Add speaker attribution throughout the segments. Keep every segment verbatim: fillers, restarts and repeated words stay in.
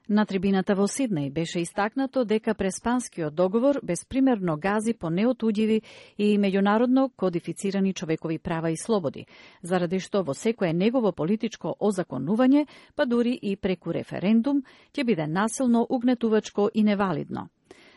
Speaker 1: На трибината во Сиднеј беше истакнато дека Преспанскиот договор безпримерно гази по неотудјиви и меѓународно кодифицирани човекови права и слободи, заради што во секое негово политичко озаконување, па дури и преку референдум, ќе биде насилно, угнетувачко и невалидно.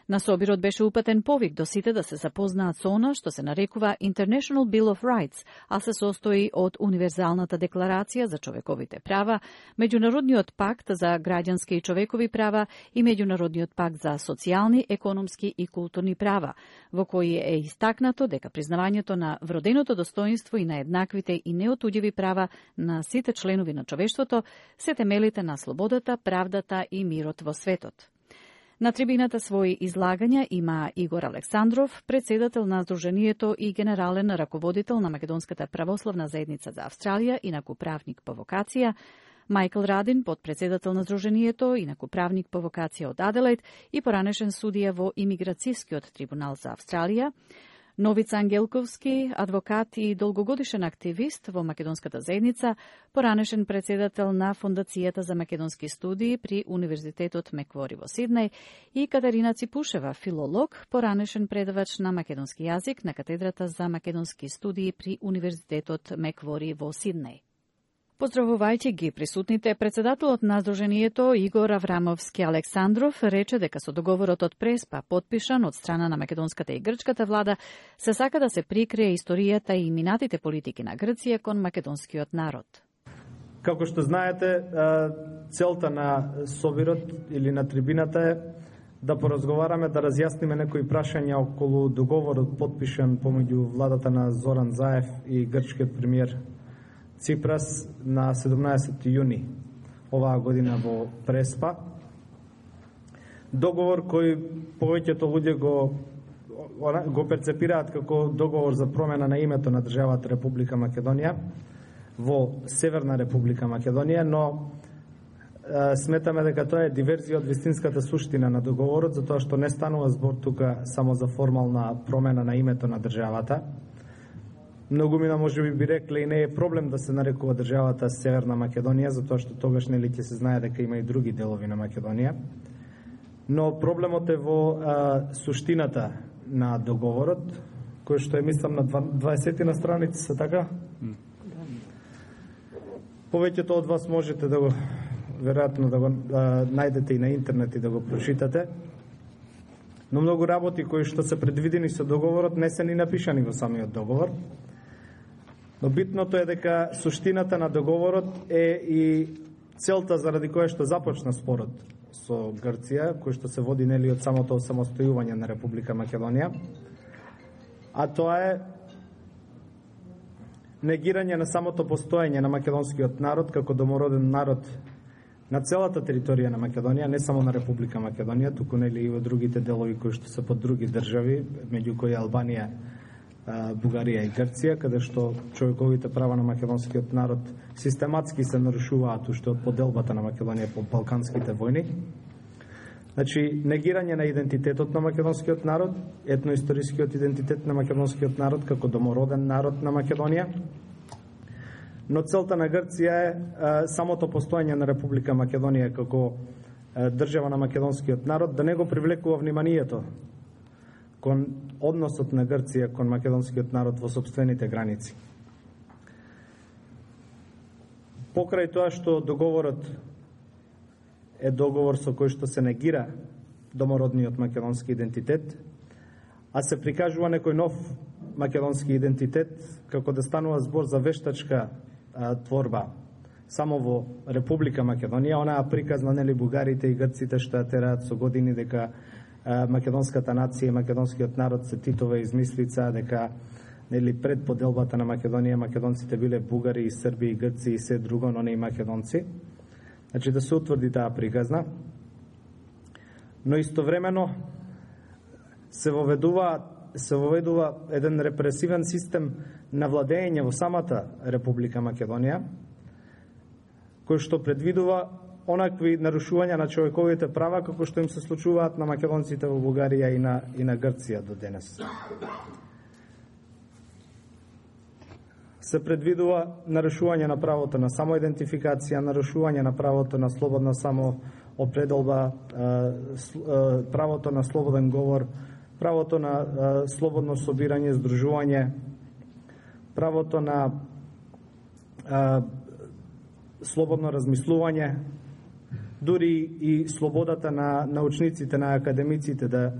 Speaker 1: На собирот беше упатен повик до сите да се запознаат со она што се нарекува International Bill of Rights, а се состои од Универзалната декларација за човековите права, Меѓународниот пакт за граѓански и човекови права и Меѓународниот пакт за социјални, економски и културни права, во кои е истакнато дека признавањето на вроденото достоинство и на еднаквите и неотудјиви права на сите членови на човештвото се темелите на слободата, правдата и мирот во светот. На трибината своји излагања има Игор Александров, председател на Сдруженијето и генерален раководител на Македонската православна заедница за Австралија, инаку правник по вокација, Мајкл Радин, подпредседател на Сдруженијето, инаку правник по вокација од Аделаид и поранешен судија во Имиграцијскиот трибунал за Австралија, Новица Ангелковски, адвокат и долгогодишен активист во Македонската заедница, поранешен председател на Фондацијата за македонски студии при Универзитетот Меквори во Сиднеј, и Катерина Ципушева, филолог, поранешен предавач на македонски јазик на катедрата за македонски студии при Универзитетот Меквори во Сиднеј. Поздравувајќи ги присутните, председателот на Сдруженијето Игор Аврамовски Александров рече дека со договорот од Преспа, подпишан од страна на македонската и грчката влада, се сака да се прикрие историјата и минатите политики на Грција кон македонскиот народ.
Speaker 2: Како што знаете, целта на собирот или на трибината е да поразговараме, да разјасниме некои прашања околу договорот подпишан помеѓу владата на Зоран Заев и грчкиот премиер Ципрас на седумнаесети јуни оваа година во Преспа. Договор кој повеќето луѓе го го перцепираат како договор за промена на името на државата Република Македонија во Северна Република Македонија, но е, сметаме дека тоа е диверзија од вистинската суштина на договорот, затоа што не станува збор тука само за формална промена на името на државата. Многумина може би би рекле и не е проблем да се нарекува државата Северна Македонија, затоа што тогаш нели ќе се знае дека има и други делови на Македонија. Но проблемот е во а, суштината на договорот, кој што е мислам на дваесет на страници, се така? Mm. Повеќето од вас можете да го веројатно да го а, најдете и на интернет и да го прочитате. Но многу работи кои што се предвидени со договорот не се ни напишани во самиот договор. Но битното е дека суштината на договорот е и целта заради која што започна спорот со Грција, кој што се води нели од самото осамостојување на Република Македонија. А тоа е негирање на самото постоење на македонскиот народ како домороден народ на целата територија на Македонија, не само на Република Македонија, туку нели и во другите делови кои што се под други држави, меѓу кои Албанија, Бугарија и Грција, каде што човековите права на македонскиот народ систематски се нарушуваат уште од поделбата на Македонија по балканските војни. Значи, негирање на идентитетот на македонскиот народ, етноисторискиот идентитет на македонскиот народ како домороден народ на Македонија. Но целта на Грција е, е самото постоење на Република Македонија како е, држава на македонскиот народ да не го привлекува вниманието кон односот на Грција кон македонскиот народ во сопствените граници. Покрај тоа што договорот е договор со кој што се негира домородниот македонски идентитет, а се прикажува некој нов македонски идентитет, како да станува збор за вештачка а, творба само во Република Македонија, онаа приказна нели бугарите и грците што ја тераат со години дека а, македонската нација и македонскиот народ се Титова измислица, дека нели пред поделбата на Македонија македонците биле бугари и срби и грци и се друго, но не и македонци. Значи да се утврди таа приказна. Но истовремено се воведува се воведува еден репресивен систем на владење во самата Република Македонија, кој што предвидува онакви нарушувања на човековите права како што им се случуваат на македонците во Бугарија и на и на Грција до денес. Се предвидува нарушување на правото на самоидентификација, нарушување на правото на слободна само определба правото на слободен говор, правото на слободно собирање, здружување, правото на слободно размислување, дури и слободата на научниците, на академиците да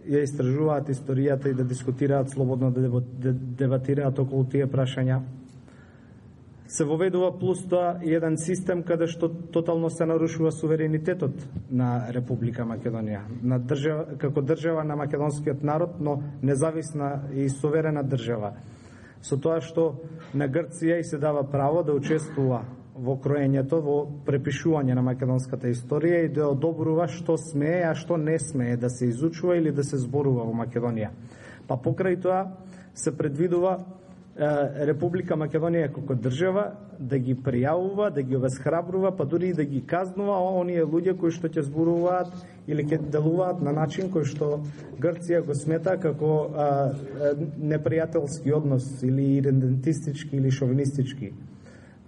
Speaker 2: ја истражуваат историјата и да дискутираат слободно, да дебатираат околу тие прашања. Се воведува плюс тоа еден систем каде што тотално се нарушува суверенитетот на Република Македонија, на држава, како држава на македонскиот народ, но независна и суверена држава. Со тоа што на Грција и се дава право да учествува во кроењето, во препишување на македонската историја и да одобрува што смее, а што не смее да се изучува или да се зборува во Македонија. Па покрај тоа се предвидува Република Македонија како држава да ги пријавува, да ги обесхрабрува, па дури и да ги казнува оние луѓе кои што ќе зборуваат или ќе делуваат на начин кој што Грција го смета како а, непријателски однос или идентистички или шовинистички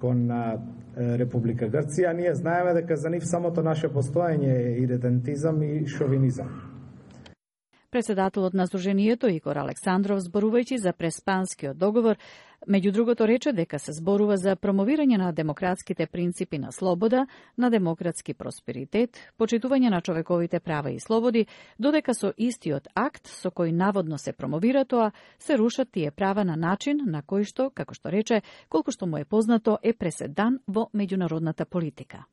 Speaker 2: кон а, Република Грција. Ние знаеме дека за нив самото наше постоење е идентизам и шовинизам.
Speaker 1: Председателот на Сдруженијето Игор Александров, зборувајќи за Преспанскиот договор, меѓу другото рече дека се зборува за промовирање на демократските принципи на слобода, на демократски просперитет, почитување на човековите права и слободи, додека со истиот акт со кој наводно се промовира тоа, се рушат тие права на начин на кој што, како што рече, колку што му е познато, е преседан во меѓународната политика.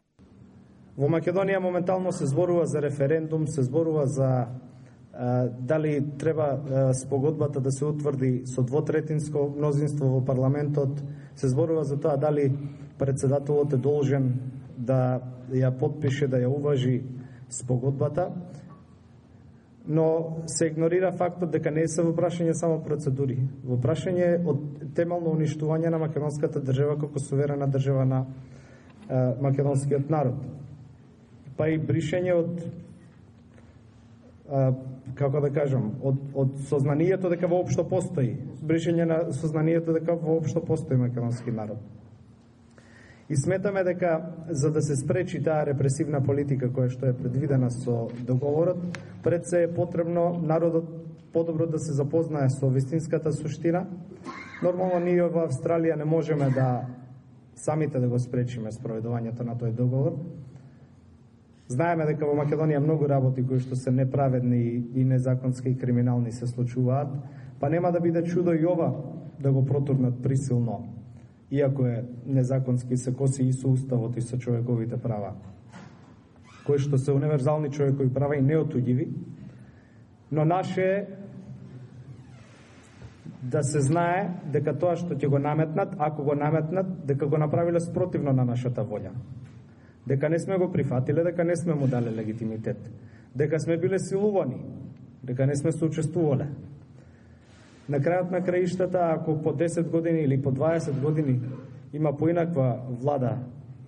Speaker 2: Во Македонија моментално се зборува за референдум, се зборува за дали треба спогодбата да се утврди со двотретинско мнозинство во парламентот, се зборува за тоа дали председателот е должен да ја потпише, да ја уважи спогодбата, но се игнорира фактот дека не се во прашање само процедури, во прашање од темелно уништување на македонската држава како суверена држава на македонскиот народ, па и бришење од како да кажам, од, од сознанието дека воопшто постои, бришење на сознанието дека воопшто постои македонски народ. И сметаме дека за да се спречи таа репресивна политика која што е предвидена со договорот, пред се е потребно народот подобро да се запознае со вистинската суштина. Нормално ние во Австралија не можеме да самите да го спречиме спроведувањето на тој договор. Знаеме дека во Македонија многу работи кои што се неправедни и незаконски и криминални се случуваат, па нема да биде чудо и ова да го протурнат присилно, иако е незаконски, се коси и со уставот и со човековите права, кои што се универзални човекови права и неотуѓиви, но наше е да се знае дека тоа што ќе го наметнат, ако го наметнат, дека го направиле спротивно на нашата волја. Дека не сме го прифатиле, дека не сме му дале легитимитет, дека сме биле силувани, дека не сме соучествувале. На крајот на краиштата, ако по десет години или по дваесет години има поинаква влада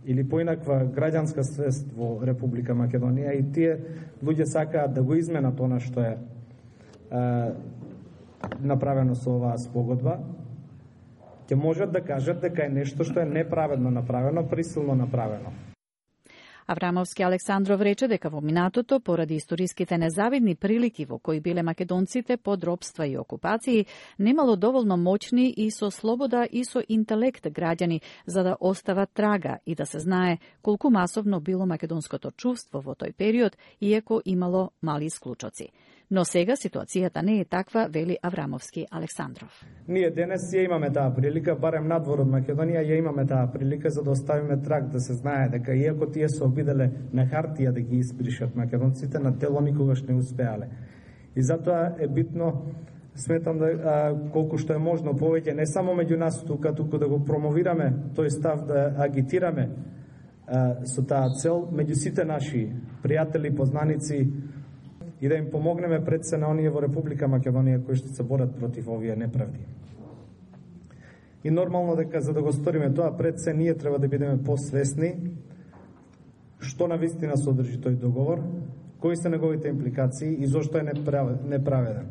Speaker 2: или поинаква граѓанска свест во Република Македонија и тие луѓе сакаат да го изменат она што е, е направено со оваа спогодба, ќе можат да кажат дека е нешто што е неправедно направено, присилно направено.
Speaker 1: Аврамовски Александров рече дека во минатото, поради историските незавидни прилики во кои биле македонците под робства и окупации, немало доволно моćни и со слобода и со интелект граѓани за да остават трага и да се знае колку масовно било македонското чувство во тој период, иако имало мали исклучоци. Но сега ситуацијата не е таква, вели Аврамовски Александров.
Speaker 2: Ние денес ја имаме таа прилика, барем надвор од Македонија ја имаме таа прилика за да оставиме траг, да се знае дека иако тие се обиделе на хартија да ги испришат македонците, на дело никогаш не успеале. И затоа е битно, сметам да а, колку што е можно повеќе, не само меѓу нас тука, туку да го промовираме тој став, да агитираме а, со таа цел меѓу сите наши пријатели, познаници, и да им помогнеме пред се на оние во Република Македонија кои што се борат против овие неправди. И нормално дека за да го сториме тоа пред се, ние треба да бидеме посвесни што навистина содржи тој договор, кои се неговите импликации и зошто е неправеден.